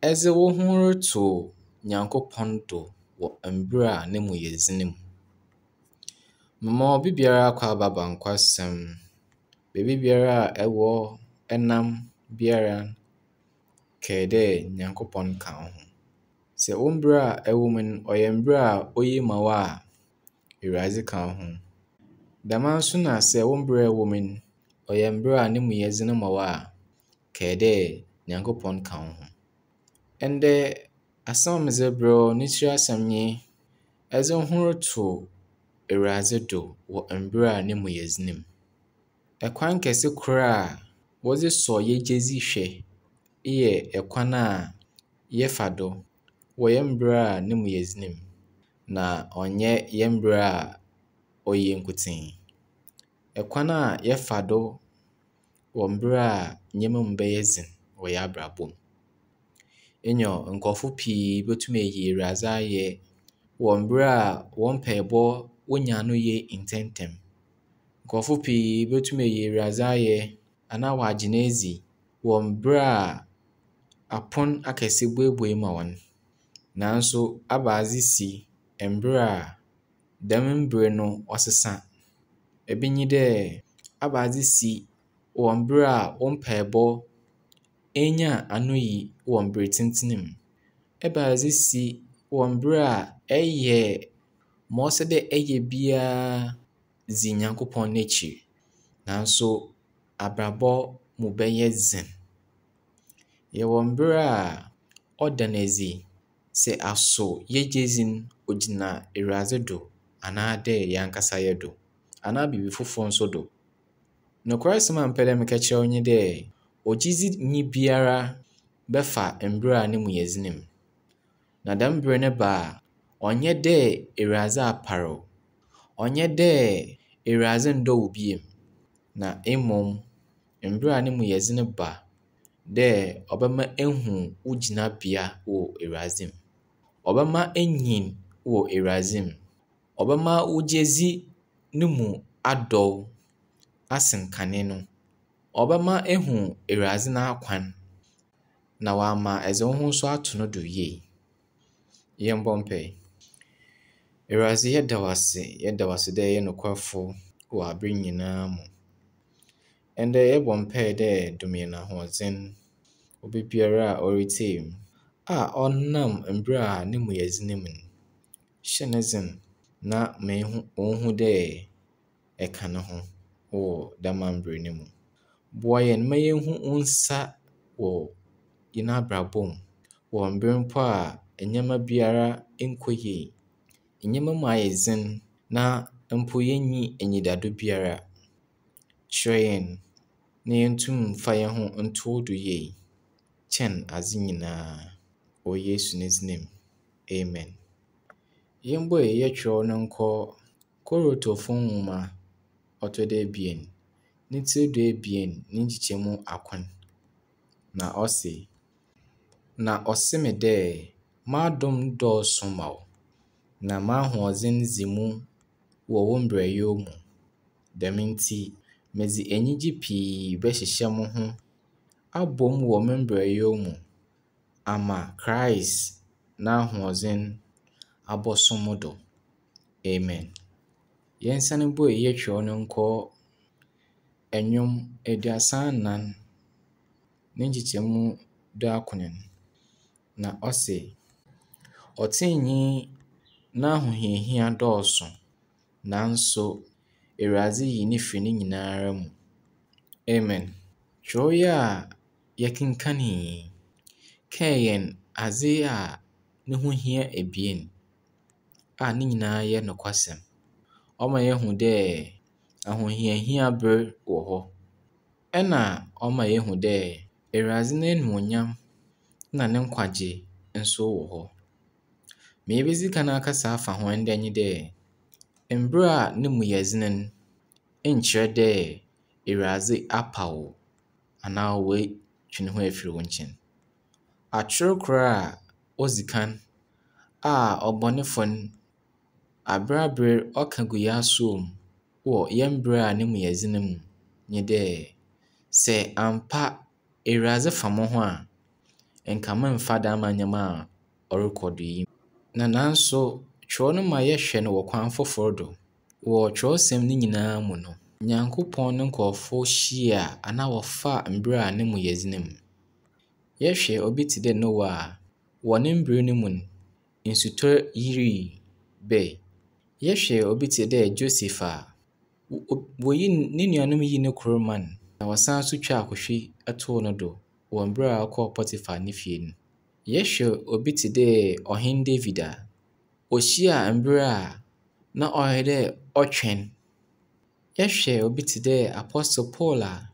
Edze woho roto Nyankopɔn do wɔ mber a no mu yɛ dzen mu. Mema obi biara akwaaba ba nkwasɛm. Beebi biara a ɛwɔ nam biara, kae dɛ Nyankopɔn ka wo ho. Sɛ wo mber a ɛwɔ mu no ɔyɛ mber a oye ma wo a, Ewuradze ka wo ho. Dɛm ara nso na sɛ wo mber a ɛwɔ mu no ɔyɛ mber a no mu yɛ dzen ma wo a, kae dɛ Nyankopɔn ka wo ho. Ndɛ asɛm a medze rebrɛ wo ne tsir asɛm nye edze wo ho roto Ewuradze do wɔ mber a no mu yɛ dzen mu. Kwan kɛse kor a wɔdze sɔ hɛn gyedzi hwɛ yɛ kwan a yɛfa do wɔ hɛn mber a no mu yɛ dzen mu, na ɔnnyɛ hɛn mber a oye nkotsee. Kwan a yɛfa do wɔ mber a ndzɛmba mu bɛyɛ dzen wɔ hɛn abrabɔ mu. Nyew, nkorɔfo pii botum eyi Ewuradze ayɛ wɔ mber a hɔn mpaabɔ wonya ano yie ntsɛntsɛm. Nkorɔfo pii botum eyi Ewuradze ayɛ anaa wɔagye no edzi wɔ mber a apon akɛse buebue ma hɔn. Naaso abaadze si mber a dɛm mber no ɔsesa. Bi nye dɛ, abaadze si wɔ mber a wo mpaabɔ enya anoyi wɔ mber tsentsen mu. Ebɛnadze si wɔ mber a ɛyɛ ma ɔsɛ dɛ ɛyɛ biara dzi Nyankopɔn n'ekyir, naaso abrabɔ mu bɛyɛ dzen. Yɛwɔ mber a ɔda no edzi sɛ aso yɛn gyedzi no ogyina Ewuradze do anaadɛ hɛn ankasa yɛn do, anaa biribi fofor nso do. Nokwasɛm a mepɛ dɛ meka kyerɛ wo nye dɛ, ogyedzinyi biara bɛfa mber a no mu yɛ dzen mu. Na dɛm ber no ba a, ɔnnyɛ dɛ Ewuradze apar wo, ɔnnyɛ dɛ Ewuradze nndɔ wo bio, na mbom mber a no mu yɛ dzen ba dɛ ɔbɛma ehu wo gyinabea wɔ Ewuradze mu. Ɔbɛma enyin wɔ Ewuradze mu. Ɔbɛma wo gyedzi no mu adɔw asen kane no. Ɔbɛma ehu Ewuradze n'akwan, na ɔama edze woho so ato no do yie. Yɛmbɔ mpae. Ewuradze yɛda wo ase, yɛda wo ase dɛ eyɛ nokwafo wɔ aber nyina mu. Ndɛ yɛbɔ mpae dɛ dom hɛn ahoɔdzen. Obi biara a oritsie mu a ɔnam mber a no mu yɛ dzen mu no, hyɛ no dzen na ma ehu onhu dɛ ɛka no ho wɔ dɛm mber no mu. Boa hɛn ma yenhu wo nsa wɔ hɛn abrabɔ mu wɔ mber mpo a ndzɛmba biara nnkɔ yie, ndzɛmba mu ayɛ dzen na mpo yennyi enyidado biara. Kyerɛ hɛn na yentum mfa hɛnho nto wo do yie kyɛn adze nyina. Wɔ Yesu ne dzin mu, amen. Yɛmbue yɛn kyerɛw no nkɔ Korintofo nwoma ɔtɔ do ebien, ne tsir 12 ne nkyekyɛmu akron. Na ɔse, Na ɔse me dɛ, M'adom dɔɔ sõ ma wo, na m'ahoɔdzen dzi mu wɔ wo mberɛwyɛ mu. Dɛm ntsi, medze enyigye pii bɛhyehyɛ moho abɔ mu wɔ me mberɛwyɛ mu ama Christ n'ahoɔdzen abɔso mo do. Amen. Yɛnsan mbue yɛn kyerɛw no nkɔ Nnwom 34 ne nkyekyɛmu 19, na ɔse, Ɔtseneneenyi n'ahohiahia dɔɔ so, naaso Ewuradze yi no fi ne nyinara mu. Amen. Kyerɛw yi a yɛkenkan yi kae hɛn adze a no ho hia ebien a ne nyinaa yɛ nokwasɛm. Ɔma yehu dɛ ahohiahia ber wɔ hɔ, ɛna ɔma yehu dɛ Ewuradze n'enuonyam na ne nkwagye nso wɔ hɔ. Ma yebedzi kan akasa afa ho ndɛ nye dɛ, mber a no mu yɛ dzen no nnkyerɛ dɛ Ewuradze apa wo anaa oetwe no ho efir wo nkyɛn. Atwer kor a odzi kan a ɔbɔnefo no aber aber ɔka gu hɛn asowa mu wɔ hɛn mber a no mu yɛ dzen mu nye dɛ, sɛ ampa Ewuradze fa mo ho a, nka memmfa dɛm ndzɛmba a ɔrokɔ do yi. Na naaso kyerɛw no ma yɛhwɛ no wɔ kwan fofor do. Wɔ kyerɛwsɛm ne nyinaa mu no, Nyankopɔn no nkorɔfo hyia anaa wɔfaa mber a no mu yɛ dzen mu. Yɛhwɛ obi tse dɛ Noah a, wɔ ne mber no mu no, nsutɔ yirii bae. Yɛhwɛ obi tse dɛ Joseph a, woyii no nuanom yii no kor mae, na wɔsan so twaa akɔhwi too no do wɔ mber a ɔkɔɔ Potiphar ne fie no. Yɛhwɛ obi tse dɛ Ɔhen David a, ohyiaa mber a na ɔyɛ dɛ ɔtwɛn. Yɛhwɛ obi tse dɛ Apostle Paul a,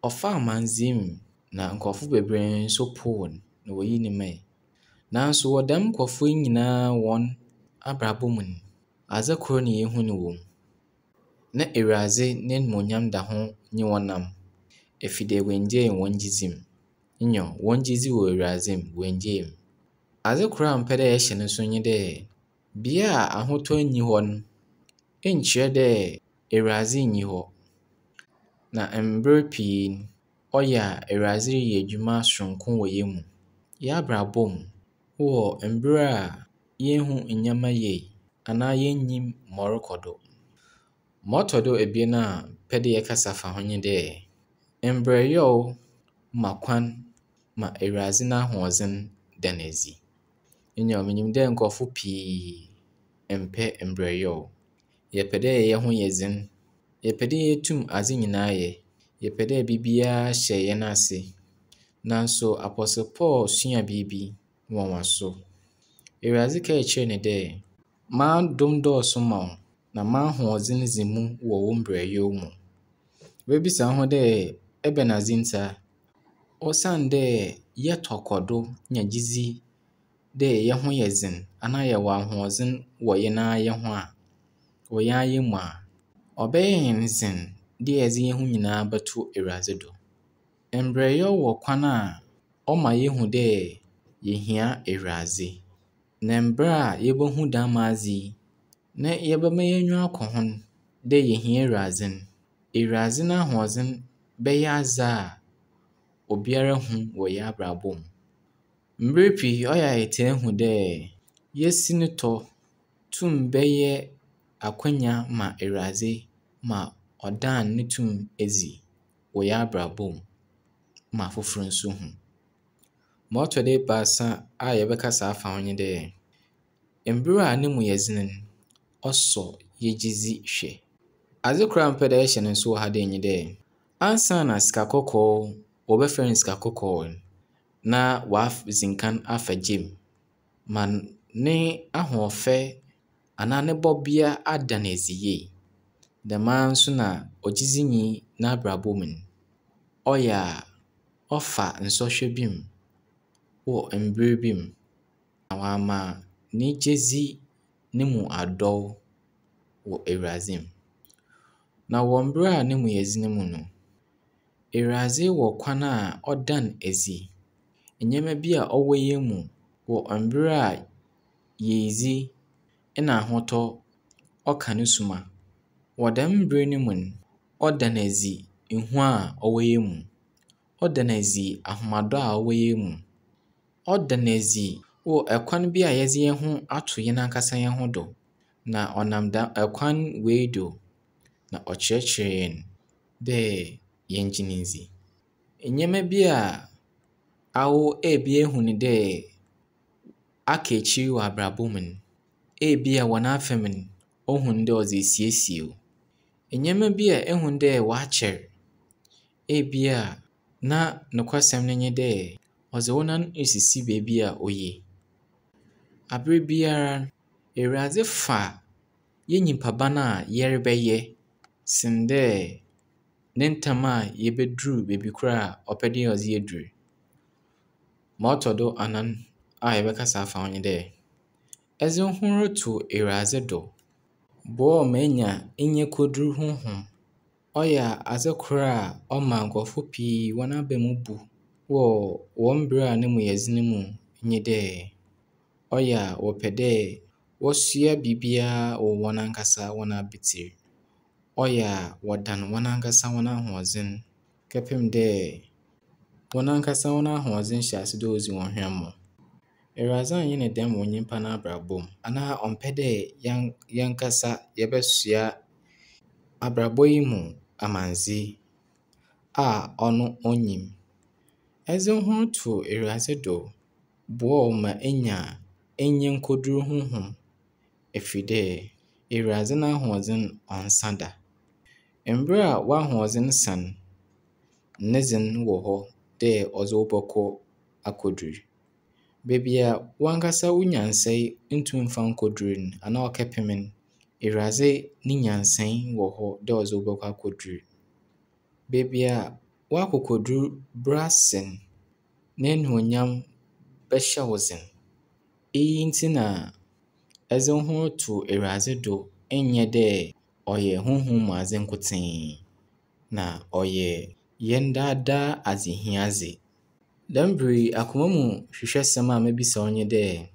ɔfaa amandzɛɛ mu na nkorɔfo beberee nso poow no na woyii no mae. Naaso wɔ dɛm nkorɔfo yi nyinaa hɔn abrabɔ mu no, adze kor na yehu no wɔ mu. Na Ewuradze n'enyimnyam da ho nye hɔn nam, ɛfiri dɛ woenngyaa hɔn gyedzi mu. Nyew, hɔn gyedzi wɔ Ewuradze mu, woenngyaa mu. Adze kor a mepɛ dɛ yɛhyɛ no nso nye dɛ, bea a ahotɔ nnyi hɔ no, nnkyerɛ dɛ Ewuradze nnyi hɔ. Na mber pii no, ɔyɛ a Ewuradze reyɛ edwuma soronko wɔ hɛn mu. Hɛn abrabɔ mu, wɔ mber a yennhu ndzɛmba yie anaa yennyim ma ɔrokɔ do. Ma ɔtɔ do ebien a mepɛ dɛ yɛkasa fa ho nye dɛ, mbrɛyaw ma kwan ma Ewuradze n'ahoɔdzen da no edzi. Nyew, minyim dɛ nkorɔfo pii mmpɛ mbrɛyaw. Yɛpɛ dɛ hɛn ho yɛ dzen, yɛpɛ dɛ yetum adze nyinaa yɛ, yɛpɛ dɛ biribiara hyɛ hɛn ase. Naaso Apostle Paul sua biribi nwanwaso. Ewuradze kaa kyerɛɛ no dɛ, M'adom dɔɔso ma wo, na m'ahoɔdzen dzi mu wɔ wo mbrɛyaw mu. Ibebisa wo ho dɛ ebɛnadze ntsi a? Osiandɛ yɛtɔ kɔ do nya gyedzi dɛ hɛn ho yɛ dzen anaa yɛwɔ ahoɔdzen wɔ hɛn ara hɛn ho a, wɔ hɛn ara hɛn mu a, ɔbɛyɛ hɛn dzen dɛ yɛdze hɛn ho nyinaa bɔto Ewuradze do. Mbrɛyaw wɔ kwan a ɔma yehu dɛ yehia Ewuradze. Na mber a yebohu dɛm adze yi, na yɛbɛma hɛn enyiwa akɔ ho dɛ yehia Ewuradze no, Ewuradze n'ahoɔdzen bɛyɛ adze a obiara hu wɔ hɛn abrabɔ mu. Mber pii ɔyɛ a yɛtaa hu dɛ yesinitɔ tum bɛyɛ akwanya ma Ewuradze ma ɔdan no tum edzi wɔ hɛn abrabɔ mu ma afofor nso hu. Ma ɔtɔ do ebiasa a yɛbɛkasa afa ho nye dɛ, mber a no mu yɛ dzen no, ɔsɔ hɛn gyedzi hwɛ. Adze kor a mepɛ dɛ yɛhyɛ no nso wɔ ha dei nye dɛ, ansaana sika kɔkɔɔ wɔbɛfrɛ no sika kɔkɔɔ no, na ɔadzi nkan afa gya mu ma ne ahoɔfɛ anaa ne bɔbea ada no edzi yie. Dɛm ara nso na ogyedzinyi n'abrabɔ mu no, ɔyɛ a ɔfa nsɔhwɛ bi mu wɔ mber bi mu na ɔama ne gyedzi no mu adɔw wɔ Ewuradze mu. Na wɔ mber a no mu yɛ dzen mu no, Ewuradze wɔ kwan a ɔda no edzi. Ndzɛmba bi a ɔwɔ hɛn mu wɔ mber a yiedzi na ahotɔ ɔka no suma. Wɔ dɛm ber no mu no, ɔda no edzi ehu a ɔwɔ hɛn mu. Ɔda no edzi ahomado a ɔwɔ hɛn mu. Ɔda no edzi wɔ kwan bi a yɛdze hɛn ho ato hɛn ankasa hɛn ho do. Na ɔnam dɛm kwan wei do na ɔkyerɛkyerɛ hɛn dɛ yɛngye no ndzi. Ndzɛmba bi a awo ebi ehu no dɛ aka ekyir wɔ abrabɔ mu no, ebia wɔ n'afamu no, ohu no dɛ ɔdze esiesie wo. Ndzɛmba bi a ehu dɛ wɔakyɛr, ebia na nokwasɛm no nye dɛ ɔdze wo nan esisi beebi a oye. Aber biara, Ewuradze fa yɛn nyimpa ban a yɛrebɛyɛ sen dɛ ne ntam a yebedur beebi kor a ɔpɛ dɛ ɔdze hɛn dur. Ma ɔtɔ do anan a yɛbɛkasa afa ho nye dɛ, edze wo ho roto Ewuradze do boa wo ma enya enyikodur honhom. Ɔyɛ adze kor a ɔma nkorɔfo pii hɔn aba mu bu wɔ hɔn ber a no mu yɛ dzen mu nye dɛ, ɔyɛ a wɔpɛ dɛ wɔsoa biribiara wɔ hɔn ankasa hɔn abatsir. Ɔyɛ a wɔdan hɔn ankasa hɔn ahoɔdzen kɛpem dɛ hɔn ankasa hɔn ahoɔdzen hyɛ ase dɛ odzi hɔn hwammɔ. Ewuradze annyɛ no dɛm wɔ nyimpa n'abrabɔ mu, anaa ɔmmpɛ dɛ yɛnkasa yɛbɛsoa abrabɔ yi mu amandze a ɔno onnyim. Edze wo ho roto Ewuradze do boa wo ma enya enyenkodur honhom, ɛfiri dɛ Ewuradze n'ahoɔdzen ɔnnsa da. Mber a w'ahoɔdzen sa no, ne dze no wɔ hɔ dɛ ɔdze wo bɔkɔ akodur. Beebi a wankasa wo nyansae nntum mmfa nnkodur no anaa ɔkɛpem no, Ewuradze ne nyansae wɔ hɔ dɛ ɔdze wo bɔkɔ akodur. Beebi a w'akokodur brɛ ase no, n'enuonyam bɛhyɛ wo dzen. Iyi ntsi na edze wo ho roto Ewuradze do nnyɛ dɛ ɔyɛ honhom mu adze nkotsee, na ɔyɛ hɛn daadaa adzehiadze. Dɛm ber yi, akoma mu hwehwɛsɛm a mebisa wo nye dɛ,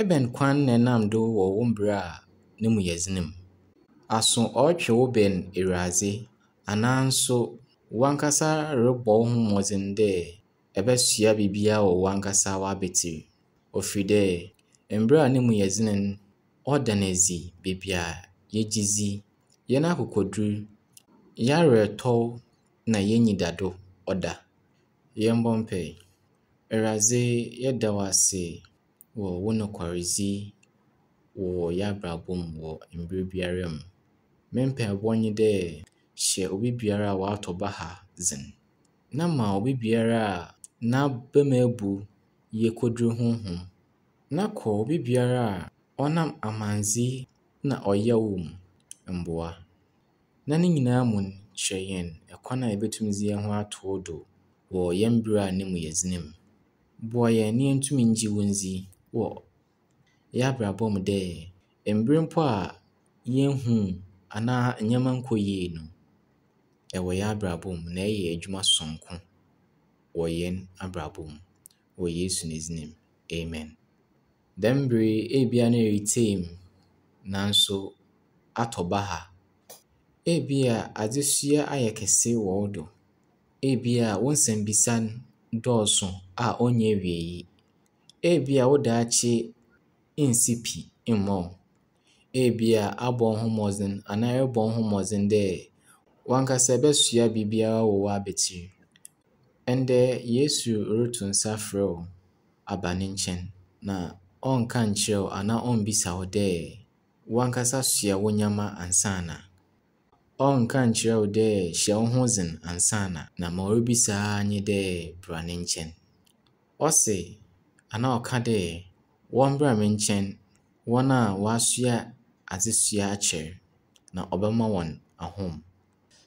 ebɛn kwan na enam do wɔ wo mber a no mu yɛ dzen mu? Aso ɔrotwe wo bɛn Ewuradze anaa nso wankasa robɔ wo ho mbɔdzen dɛ ebɛsoa biribiara wɔ wankasa w'abatsir? Ofir dɛ, mber a no mu yɛ dzen no, ɔda no edzi beebi a yɛgye dzi, hɛn akokodur, hɛn awerɛtɔw na hɛn enyidado ɔda. Yɛmbɔ mpae. Ewuradze, yɛda wo ase wɔ wo nokwardzi wɔ hɛn abrabɔ mu wɔ mber biara mu. Me mpaebɔ nye dɛ hyɛ obi biara a ɔatɔ baha dzen, na ma obi biara a n'aba mu ebu yekodur honhom, na kɔ obi biara a ɔnam amandze na ɔyaw mu mboa. Na ne nyinaa mu no, kyerɛ hɛn kwan a yebotum dze hɛn ho ato wo do wɔ hɛn ber a no mu yɛ dzen mu. Boa hɛn na yentum nngye wo nndzi wɔ hɛn abrabɔ mu dɛ mber mpo a yennhu anaa ndzɛmba nnkɔ yie no, ɛwɔ hɛn abrabɔ mu na ɛyɛ edwuma soronko wɔ hɛn abrabɔ mu. Wɔ Yesu ne dzin mu, amen. Dɛm ber yi, ebia na eretsie mu naaso atɔ baha. Ebia adzesoa ayɛ kɛse wɔ wo do. Ebia wo nsɛmbisa no dɔɔso a ɔnnyɛ ewiei. Ebia wo daakye nnsi pi mma wo. Ebia abɔ wo ho mbɔdzen anaa erobɔ wo ho mbɔdzen dɛ wankasa ebɛsoa biribiara wɔ w'abatsir. Ndɛ Yesu roto nsa frɛ wo aba ne nkyɛn, na ɔnnka nnkyerɛ wo anaa ɔmmbisa wo dɛ wankasa soa wo ndzɛmba ansaana. Ɔnnka nnkyerɛ wo dɛ hyɛ wo ho dzen ansaana, na ma oribisa ara nye dɛ bra ne nkyɛn. Ɔse anaa ɔka dɛ wɔmbra me nkyɛn, hɔn a wɔasoa adzesoa akyɛr, na ɔbɛma hɔn ahom.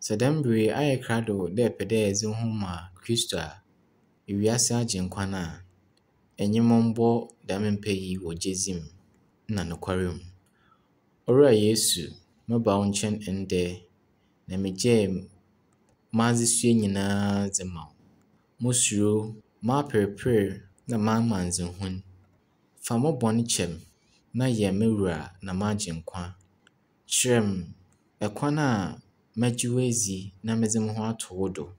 Sɛ dɛm ber yi ayɛ krado dɛ epɛ dɛ edze wo ho ma Kristo a, wiase agyenkwa no a, enye mo mbɔ dɛm mpae yi wɔ gyedzi mu na nokwar mu. Owura Yesu, meba wo nkyɛn ndɛ, na megyaa m'adzesoa nyinaa dze ma wo. Mo suro, m'aperper na m'amandzehu. Fa mo bɔn kyɛ me na yɛ me wura na m'agyenkwa. Kyerɛ me kwan a mɛgye wo edzi na medze mo ho ato wo do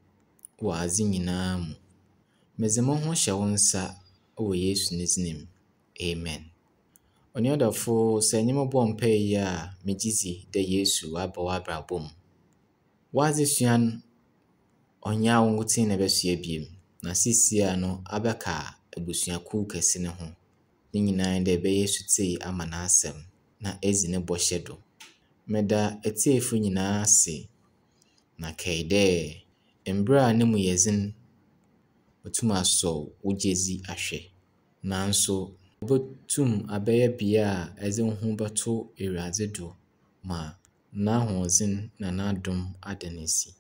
wɔ adze nyinaa mu. Medze mo ho hyɛ wo nsa wɔ Yesu ne dzin mu. Amen. Onua dɔfo, sɛ enye me bɔ mpae yi a, megye dzi dɛ Yesu ɔaba w'abrabɔ mu. W'adzesua no, ɔnnyɛ awo nkotsee na ebɛsoa bio, na seisiara no abɛka ebusuakuw kɛse no ho. Ne nyinaa nye dɛ ebɛyɛ setsie ama n'asɛm na edzi ne bɔhyɛ do. Meda etsiefo nyinaa ase, na kae dɛ mber a no mu yɛ dzen, otum asɔ wo gyedzi ahwɛ. Naaso obotum abɛyɛ bea a edze wo ho bɔto Ewuradze do ma n'ahoɔdzen na n'adom ada no edzi.